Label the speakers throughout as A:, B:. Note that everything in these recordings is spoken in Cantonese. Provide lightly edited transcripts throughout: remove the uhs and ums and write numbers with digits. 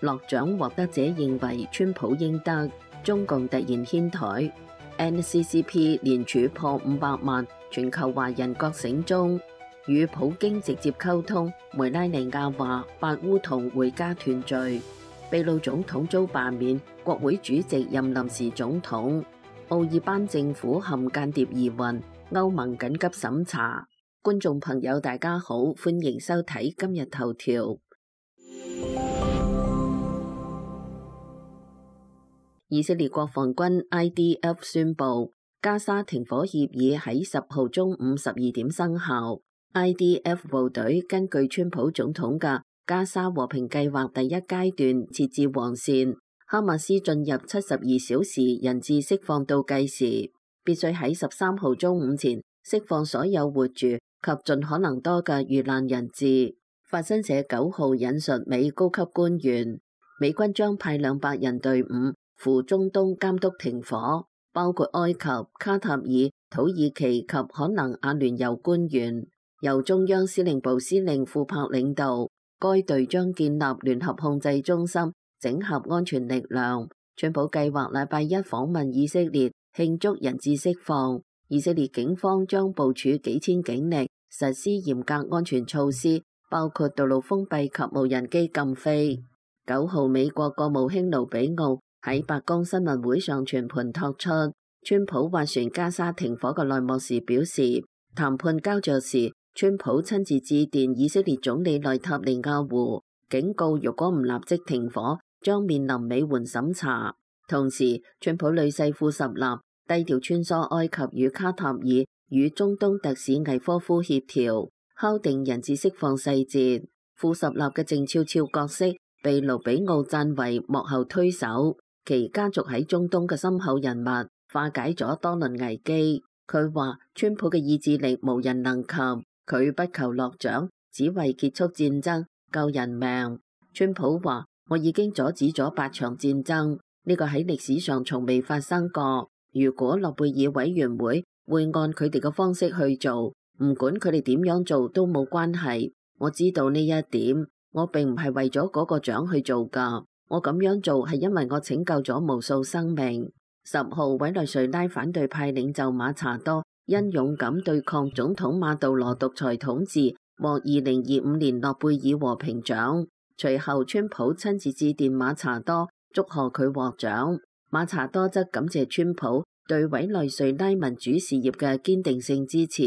A: 諾獎獲得者認為川普應得，中共突然遷台。NCCP 連署破500萬，全球華人覺醒中。與普京直接溝通，梅拉尼亞話八烏同回家團聚。秘魯總統遭罷免，國會主席任臨時總統。奧爾班政府陷間諜疑雲，歐盟緊急審查。觀眾朋友大家好，歡迎收睇今日頭條。以色列國防軍 IDF 宣布，加沙停火協議喺10號中午12點生效。IDF 部隊根據川普總統嘅加沙和平計劃第一階段設置黃線，哈馬斯進入72小時人質釋放倒計時，必須喺13號中午前釋放所有活住及盡可能多嘅遇難人質。法新社9號引述美高級官員，美軍將派200人隊伍赴中東監督停火，包括埃及、卡塔爾、土耳其及可能阿聯酋官員。由中央司令部司令庫柏領導，該隊將建立聯合控制中心，整合安全力量。川普計劃禮拜一訪問以色列，慶祝人質釋放。以色列警方將部署幾千警力，實施嚴格安全措施，包括道路封閉及無人機禁飛。9號，美國國務卿盧比奧喺白宮新聞會上全盤托出川普斡旋加沙停火嘅內幕時表示，談判膠着時，川普親自致電以色列總理內塔尼亞胡，警告如果唔立即停火，將面臨美援審查。同時，川普女婿庫什納低調穿梭埃及與卡塔爾，與中東特使魏科夫協調，敲定人質釋放細節。庫什納嘅靜悄悄角色被盧比奧讚為幕後推手，其家族喺中東嘅深厚人脈，化解咗多輪危機。佢話川普嘅意志力無人能及。佢不求落獎，只為結束戰爭、救人命。川普話：我已經阻止咗8場戰爭，呢個喺歷史上從未發生過。如果諾貝爾委員會會按佢哋嘅方式去做，唔管佢哋點樣做都冇關係。我知道呢一點，我並唔係為咗嗰個獎去做㗎。我咁樣做係因為我拯救咗無數生命。10號，委內瑞拉反對派領袖馬查多因勇敢對抗總統馬杜羅獨裁統治，獲2025年諾貝爾和平獎。隨後，川普親自致電馬查多，祝賀佢獲獎。馬查多則感謝川普對委內瑞拉民主事業嘅堅定性支持。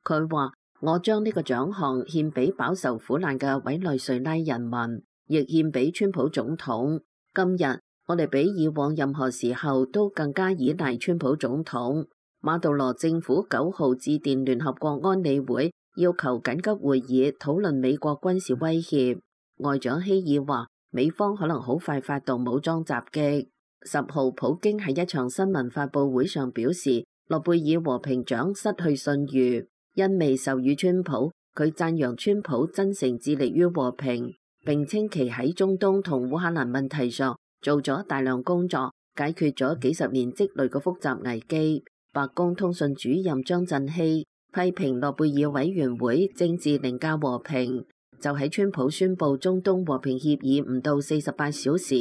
A: 佢話：我將呢個獎項獻俾飽受苦難嘅委內瑞拉人民，亦獻俾川普總統。今日我哋比以往任何時候都更加依賴川普總統。馬杜羅政府9號致電聯合國安理會，要求緊急會議討論美國軍事威脅。外長希爾話，美方可能好快發動武裝襲擊。10號，普京喺一場新聞發佈會上表示，諾貝爾和平獎失去信譽，因未授予川普。佢讚揚川普真誠致力於和平，並稱其喺中東同烏克蘭問題上做咗大量工作，解決咗幾十年積累嘅複雜危機。白宮通訊主任張振熙批評諾貝爾委員會政治凌駕和平。就喺川普宣布中東和平協議唔到48小時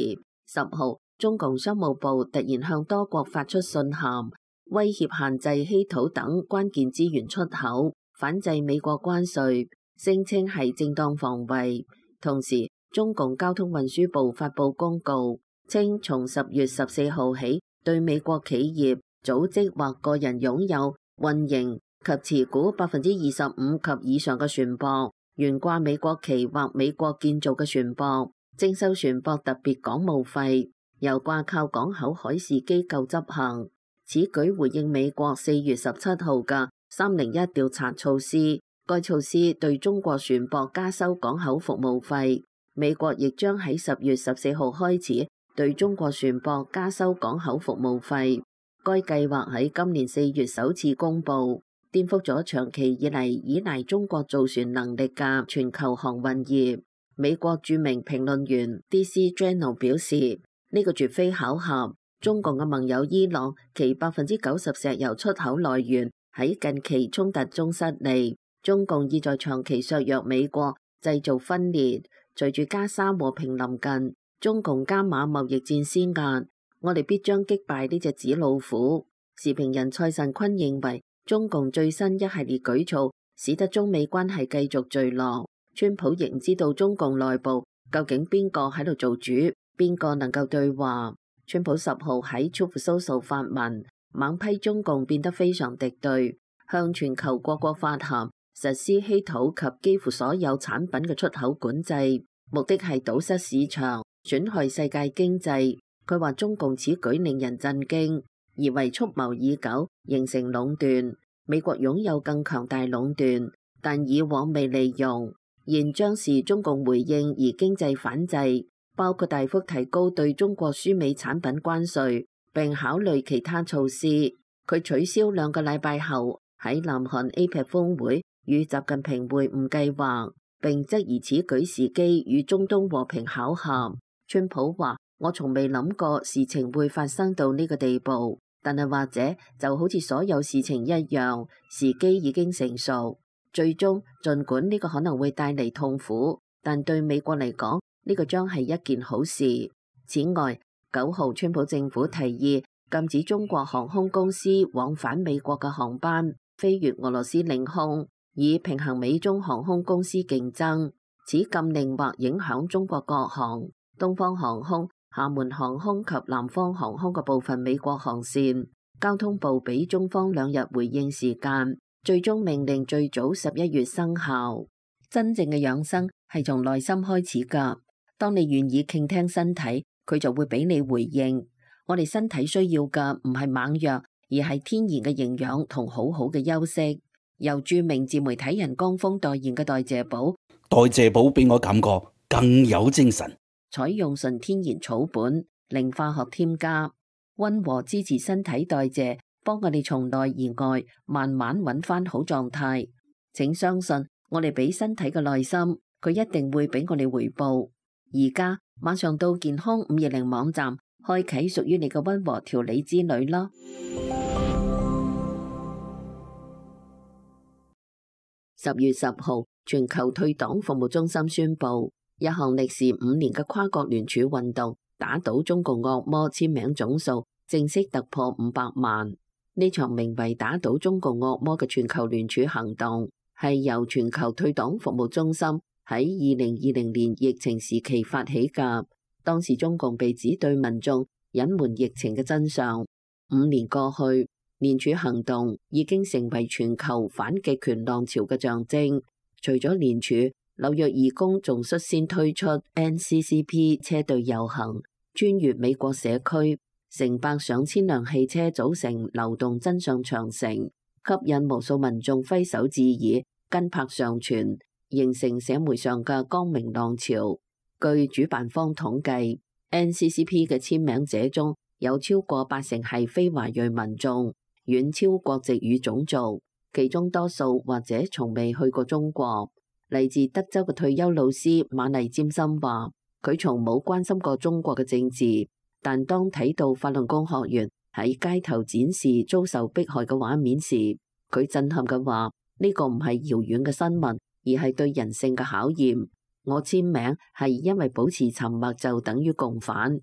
A: ，10號，中共商務部突然向多國發出信函，威脅限制稀土等關鍵資源出口，反制美國關稅，聲稱係正當防衛。同時，中共交通運輸部發布公告，稱從10月14號起，對美國企業、組織或個人擁有、運營及持股25%及以上嘅船舶，懸掛美國旗或美國建造嘅船舶，徵收船舶特別港務費，由掛靠港口海事機構執行。此舉回應美國4月17號嘅301調查措施，該措施對中國船舶加收港口服務費。美國亦將喺10月14號開始對中國船舶加收港口服務費。該計劃喺今年4月首次公布，顛覆咗長期以嚟依賴中國造船能力嘅全球航運業。美國著名評論員 DC Journal 表示，呢個絕非巧合。中共嘅盟友伊朗，其90%石油出口來源喺近期衝突中失利。中共意在長期削弱美國，製造分裂。隨住加沙和平臨近，中共加碼貿易戰施壓，我哋必將擊敗呢隻紙老虎。時評人蔡慎坤認為，中共最新一系列舉措使得中美關係繼續墜落。川普亦唔知道中共內部究竟邊個喺度做主，邊個能夠對話。川普10號喺 Truth Social 發文，猛批中共變得非常敵對，向全球各國發函，實施稀土及幾乎所有產品嘅出口管制，目的係堵塞市場，損害世界經濟。佢話中共此舉令人震驚，而為蓄謀已久，形成壟斷。美國擁有更強大壟斷，但以往未利用，現將是中共回應而經濟反制，包括大幅提高對中國輸美產品關稅，並考慮其他措施。佢取消2個禮拜後喺南韓 APEC 峰會與習近平會晤計劃，並質疑此舉時機與中東和平巧合。川普話：我從未諗過事情會發生到呢個地步。但係或者就好似所有事情一樣，時機已經成熟。最終，儘管呢個可能會帶嚟痛苦，但對美國嚟講，呢個將係一件好事。此外，9號川普政府提議禁止中國航空公司往返美國嘅航班飛越俄羅斯領空，以平衡美中航空公司競爭。此禁令或影響中國國航、東方航空、廈門航空及南方航空嘅部分美國航線。交通部俾中方2日回應時間，最終命令最早11月生效。真正嘅養生係從內心開始㗎。當你願意傾聽身體，佢就會俾你回應。我哋身體需要嘅唔係猛藥，而係天然嘅營養同好好嘅休息。由著名自媒體人江峰代言嘅代謝寶，
B: 代謝寶俾我感覺更有精神。
A: 採用純天然草本，零化學添加，溫和支持身體代謝，幫我哋從內而外慢慢揾翻好狀態。請相信我哋俾身體嘅耐心，佢一定會俾我哋回報。而家馬上到健康520網站，開啟屬於你嘅溫和調理之旅啦。10月10號，全球退黨服務中心宣布，一項歷時5年嘅跨國聯署運動打倒中共惡魔簽名總數正式突破500萬。呢場名為打倒中共惡魔嘅全球聯署行動，係由全球退黨服務中心喺2020年疫情時期發起㗎。當時中共被指對民眾隱瞞疫情嘅真相。5年過去，聯署行動已經成為全球反極權浪潮嘅象徵。除咗聯署，紐約義工仲率先推出 NCCP 車隊遊行，穿越美國社區，成百上千輛汽車組成流動真相長城，吸引無數民眾揮手致意，跟拍上傳，形成社會上嘅光明浪潮。據主辦方統計， NCCP 嘅簽名者中有超過80%係非華裔民眾，遠超國籍與種族，其中多數或者從未去過中國。嚟自德州嘅退休老師馬麗占森話，佢從冇關心過中國嘅政治，但當睇到法輪功學員喺街頭展示遭受迫害嘅畫面時，佢震撼嘅話，呢個唔係遙遠嘅新聞，而係對人性嘅考驗。我簽名係因為保持沉默就等於共犯。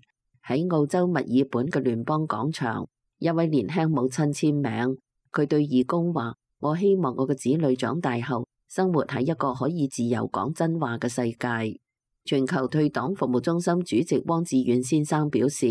A: 喺澳洲墨爾本嘅聯邦廣場，一位年輕母親簽名，佢對義工話：我希望我嘅子女長大後生活喺一個可以自由講真話嘅世界。全球退黨服務中心主席汪志遠先生表示，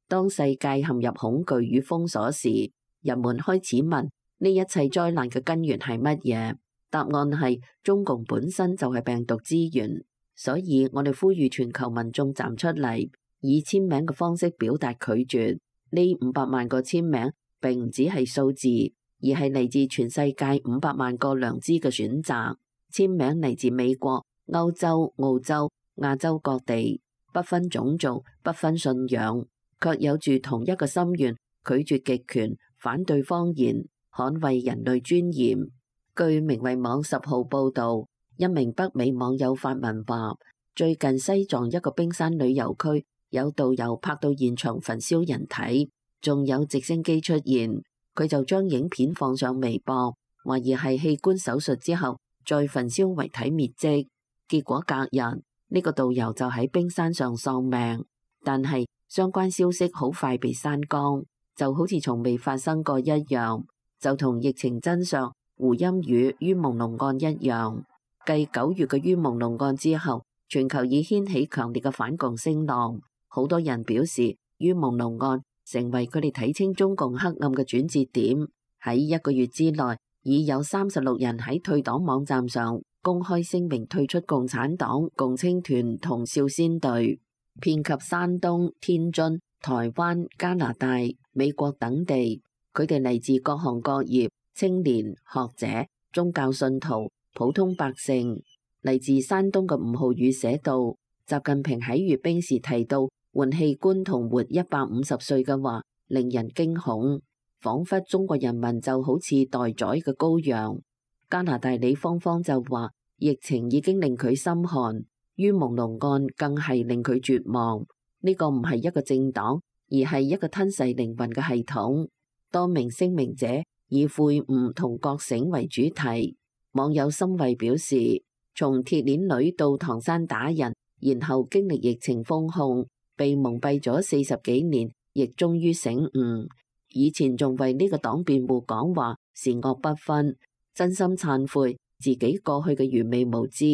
A: 當世界陷入恐懼與封鎖時，人們開始問呢一切災難嘅根源係乜嘢？答案係中共本身就係病毒之源。所以我哋呼籲全球民眾站出嚟，以簽名嘅方式表達拒絕。呢500萬個簽名並唔只係數字，而係嚟自全世界500萬個良知嘅選擇。簽名嚟自美國、歐洲、澳洲、亞洲各地，不分種族、不分信仰，卻有住同一個心願，拒絕極權、反對謊言、捍衛人類尊嚴。據名為網10號報導，一名北美網友發文話，最近西藏一個冰山旅遊區有導遊拍到現場焚燒人體，仲有直升機出現，佢就將影片放上微博，懷疑係器官手術之後再焚燒遺體滅跡。結果隔日，呢個導遊就喺冰山上喪命。但係相關消息好快被刪光，就好似從未發生過一樣，就同疫情真相胡鑫宇于朦朧案一樣。繼9月嘅于朦朧案之後，全球已掀起強烈嘅反共聲浪，好多人表示于朦朧案成為佢哋睇清中共黑暗嘅轉折點。喺1個月之內，已有36人喺退黨網站上公開聲明退出共產黨、共青團同少先隊，遍及山東、天津、台灣、加拿大、美國等地。佢哋嚟自各行各業、青年、學者、宗教信徒、普通百姓。嚟自山東嘅吳浩宇寫道：習近平喺閱兵時提到換器官同活150歲嘅話，令人驚恐，仿佛中國人民就好似待宰嘅羔羊。加拿大李芳芳就話，疫情已經令佢心寒，于朦朧案更係令佢絕望。呢個唔係一個政黨，而係一個吞噬靈魂嘅系統。多名聲明者以悔悟同覺醒為主題。網友心慧表示，從鐵鏈女到唐山打人，然後經歷疫情封控，被蒙蔽咗40幾年，亦終於醒悟。以前仲為呢個黨辯護講話善惡不分，真心懺悔自己過去嘅愚昧無知。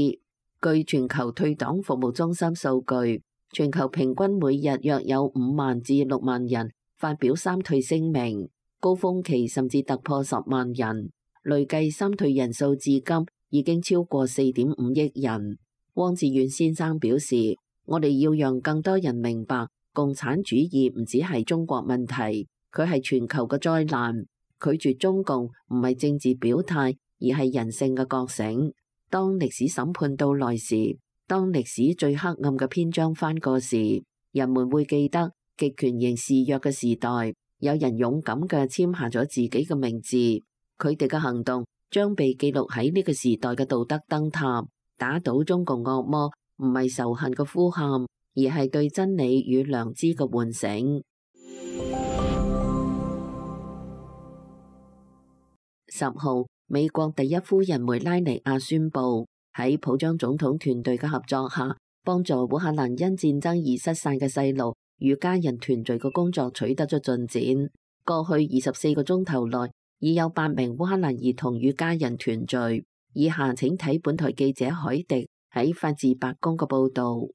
A: 據全球退黨服務中心數據，全球平均每日約有5萬至6萬人發表三退聲明，高峰期甚至突破10萬人，累計三退人數至今已經超過4.5億人。汪志遠先生表示，我哋要讓更多人明白，共產主義唔只係中國問題，佢係全球嘅災難。拒絕中共唔係政治表態，而係人性嘅覺醒。當歷史審判到來時，當歷史最黑暗嘅篇章翻過時，人們會記得極權型肆虐嘅時代，有人勇敢嘅簽下咗自己嘅名字，佢哋嘅行動將被記錄喺呢個時代嘅道德燈塔。打倒中共惡魔唔係仇恨嘅呼喊，而係對真理與良知嘅喚醒。10號，美國第一夫人梅拉尼亞宣布，喺普章總統團隊嘅合作下，幫助烏克蘭因戰爭而失散嘅細路與家人團聚嘅工作取得咗進展。過去24個鐘頭內，已有8名烏克蘭兒童與家人團聚。以下請睇本台記者海迪喺法治白宮嘅報導。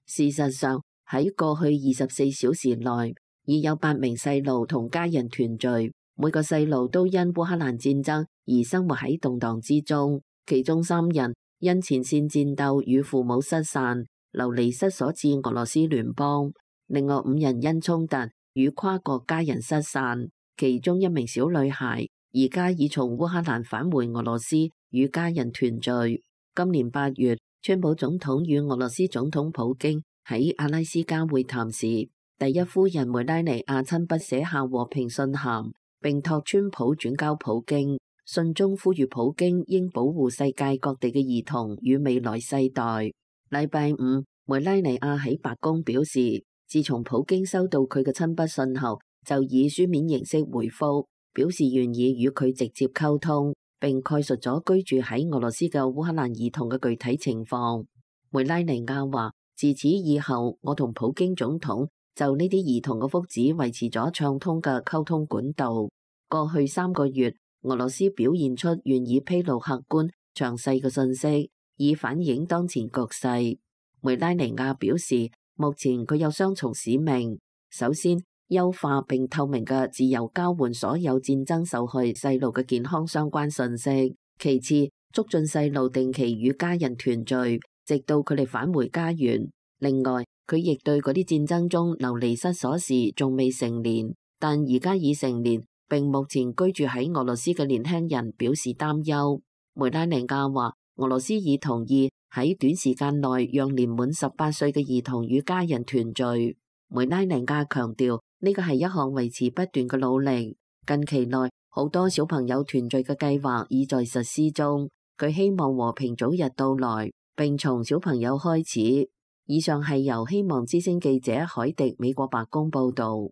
A: 事實上，喺過去24小時內，已有8名細路同家人團聚，每個細路都因烏克蘭戰爭而生活喺動盪之中，其中3人因前線戰鬥與父母失散，流離失所至俄羅斯聯邦，另外5人因衝突與跨國家人失散，其中1名小女孩而家已從烏克蘭返回俄羅斯與家人團聚。今年8月，川普總統與俄羅斯總統普京喺阿拉斯加會談時，第一夫人梅拉尼亞親筆寫下和平信函，並託川普轉交普京。信中呼籲普京應保護世界各地嘅兒童與未來世代。禮拜五，梅拉尼亞喺白宮表示，自從普京收到佢嘅親筆信後，就以書面形式回覆，表示願意與佢直接溝通，並概述咗居住喺俄羅斯嘅烏克蘭兒童嘅具體情況。梅拉尼亞話：自此以後，我同普京總統就呢啲兒童嘅福祉維持咗暢通嘅溝通管道。過去3個月，俄羅斯表現出願意披露客觀詳細嘅信息，以反映當前局勢。梅拉尼亞表示，目前佢有雙重使命：首先，優化並透明嘅自由交換所有戰爭受害細路嘅健康相關信息；其次，促進細路定期與家人團聚，直到佢哋返回家園。另外，佢亦對嗰啲戰爭中流離失所時仲未成年，但而家已成年並目前居住喺俄羅斯嘅年輕人表示擔憂。梅拉尼亞話，俄羅斯已同意喺短時間內讓年滿18歲嘅兒童與家人團聚。梅拉尼亞強調，呢個係一項維持不斷嘅努力。近期內，好多小朋友團聚嘅計劃已在實施中。佢希望和平早日到來，並從小朋友開始。以上係由希望之聲記者海迪美國白宮報導。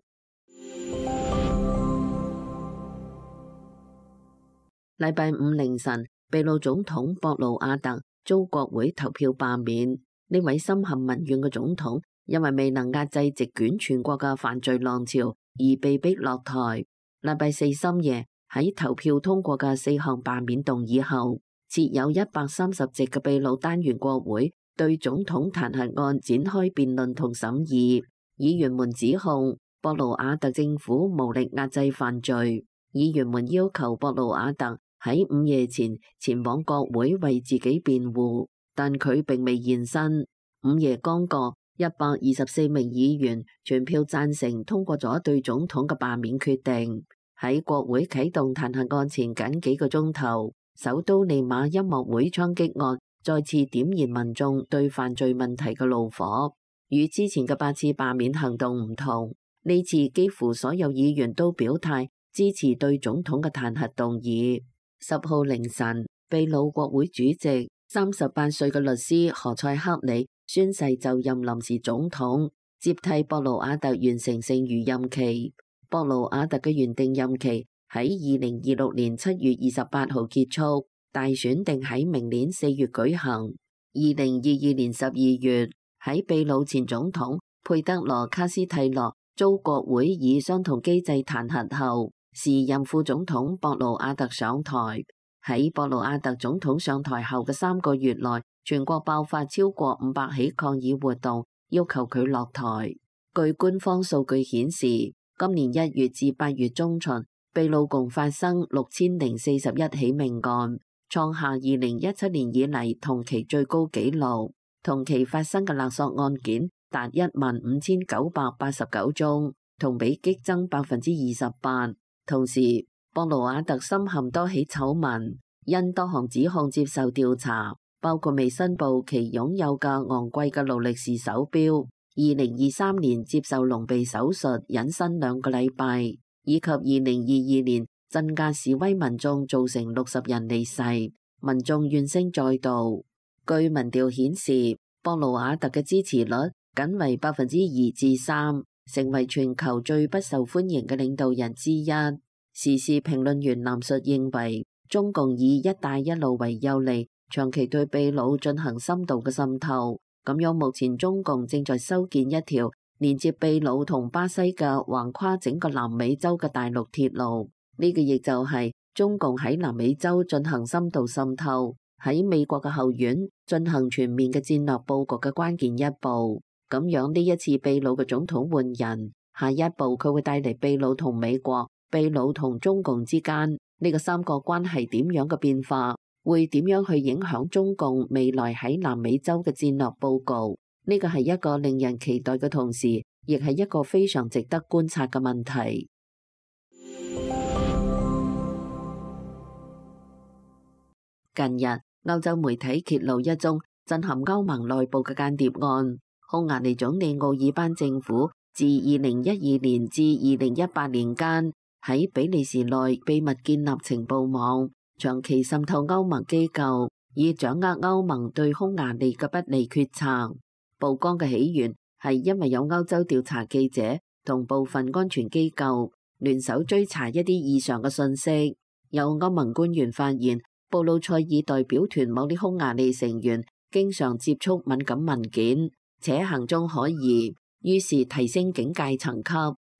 A: 禮拜五凌晨，秘魯總統博魯亞特遭國會投票罷免。呢位深陷民怨嘅總統因為未能壓制席捲全國嘅犯罪浪潮而被逼落台。禮拜四深夜喺投票通過嘅4項罷免動議後，設有130席嘅秘魯單元國會對總統彈劾案展開辯論同審議。議員們指控博魯瓦特政府無力壓制犯罪。議員們要求博魯瓦特喺午夜前往國會為自己辯護，但佢並未現身。午夜剛過，124名議員全票贊成通過咗對總統嘅罷免決定。喺國會啟動彈劾案前僅幾個鐘頭，首都利馬音樂會槍擊案再次點燃民眾對犯罪問題嘅怒火。與之前嘅8次罷免行動唔同，呢次幾乎所有議員都表態支持對總統嘅彈劾動議。10號凌晨，秘魯國會主席38歲嘅律師何塞克里宣誓就任臨時總統，接替博魯瓦特完成剩餘任期。博魯瓦特嘅原定任期喺2026年7月28號結束，大選定喺明年4月舉行。2022年12月，喺秘魯前總統佩德羅卡斯蒂諾遭國會以相同機制彈劾後，時任副總統博魯瓦特上台。喺博魯瓦特總統上台後嘅3個月內，全國爆發超過500起抗議活動，要求佢落台。據官方數據顯示，今年1月至8月中旬，秘魯共發生6041起命案，創下2017年以嚟同期最高紀錄。同期發生嘅勒索案件達15989宗，同比激增28%。同時，博魯瓦特深陷多起醜聞，因多項指控接受調查，包括未申報其擁有嘅昂貴嘅勞力士手錶，2023年接受隆鼻手術隱身2個禮拜，以及2022年鎮壓示威民眾造成60人離世，民眾怨聲載道。據民調顯示，博魯瓦特嘅支持率僅為2%至3%，成為全球最不受歡迎嘅領導人之一。時事評論員藍述認為，中共以一帶一路為誘餌，長期對秘魯進行深度嘅滲透。咁樣目前中共正在修建一條連接秘魯同巴西嘅橫跨整個南美洲嘅大陸鐵路。呢個亦就係中共喺南美洲進行深度滲透，喺美國嘅後院進行全面嘅戰略佈局嘅關鍵一步。咁樣呢一次秘魯嘅總統換人，下一步佢會帶嚟秘魯同美國、秘魯同中共之間呢個三國關係點樣嘅變化，會點樣去影響中共未來喺南美洲嘅戰略佈局？呢個係一個令人期待嘅同時，亦係一個非常值得觀察嘅問題。近日，歐洲媒體揭露一宗震撼歐盟內部嘅間諜案。匈牙利總理奧爾班政府自2012年至2018年間，喺比利時內秘密建立情報網，長期滲透歐盟機構，以掌握歐盟對匈牙利嘅不利決策。曝光嘅起源係因為有歐洲調查記者同部分安全機構聯手追查一啲異常嘅信息。有歐盟官員發現，布魯塞爾代表團某啲匈牙利成員經常接觸敏感文件，且行蹤可疑，於是提升警戒層級，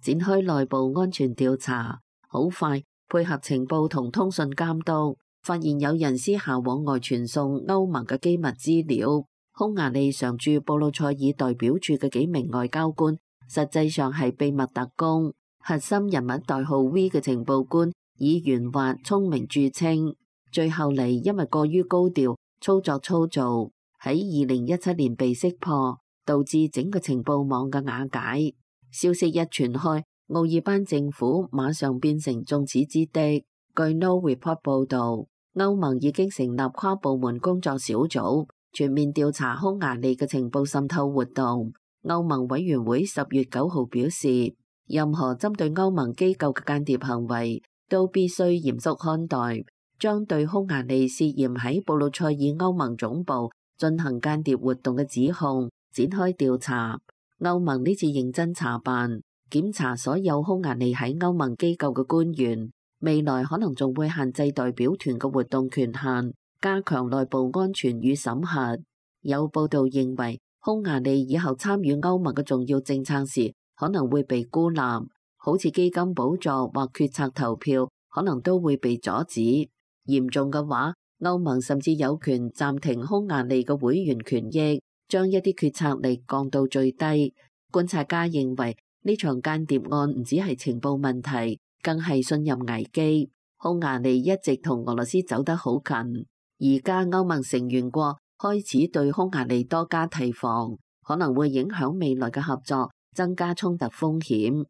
A: 展開內部安全調查。好快，配合情報同通訊監督，發現有人私下往外傳送歐盟嘅機密資料。匈牙利常駐布魯塞爾代表處嘅幾名外交官，實際上係秘密特工。核心人物代號 V 嘅情報官以圓滑聰明著稱，最後嚟因為過於高調，操作粗糙，喺2017年被識破，導致整個情報網嘅瓦解。消息一傳開，奧爾班政府馬上變成眾矢之的。據 No Report 報導，歐盟已經成立跨部門工作小組，全面調查匈牙利嘅情報滲透活動。歐盟委員會10月9號表示，任何針對歐盟機構嘅間諜行為都必須嚴肅看待，將對匈牙利涉嫌喺布魯塞爾歐盟總部進行間諜活動嘅指控展開調查。歐盟呢次認真查辦，檢查所有匈牙利喺歐盟機構嘅官員，未來可能仲會限制代表團嘅活動權限，加強內部安全與審核。有報道認為，匈牙利以後參與歐盟嘅重要政策時可能會被孤立，好似基金補助或決策投票可能都會被阻止。嚴重嘅話，歐盟甚至有權暫停匈牙利嘅會員權益，將一啲決策力降到最低。觀察家認為呢場間諜案唔只係情報問題，更係信任危機。匈牙利一直同俄羅斯走得好近，而家歐盟成員國開始對匈牙利多加提防，可能會影響未來嘅合作，增加衝突風險。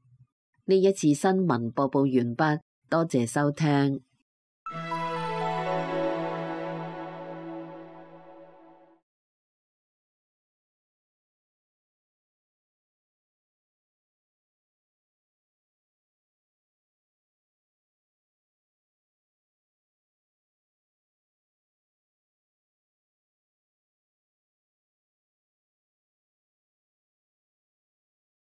A: 呢一次新聞播報完畢，多謝收聽。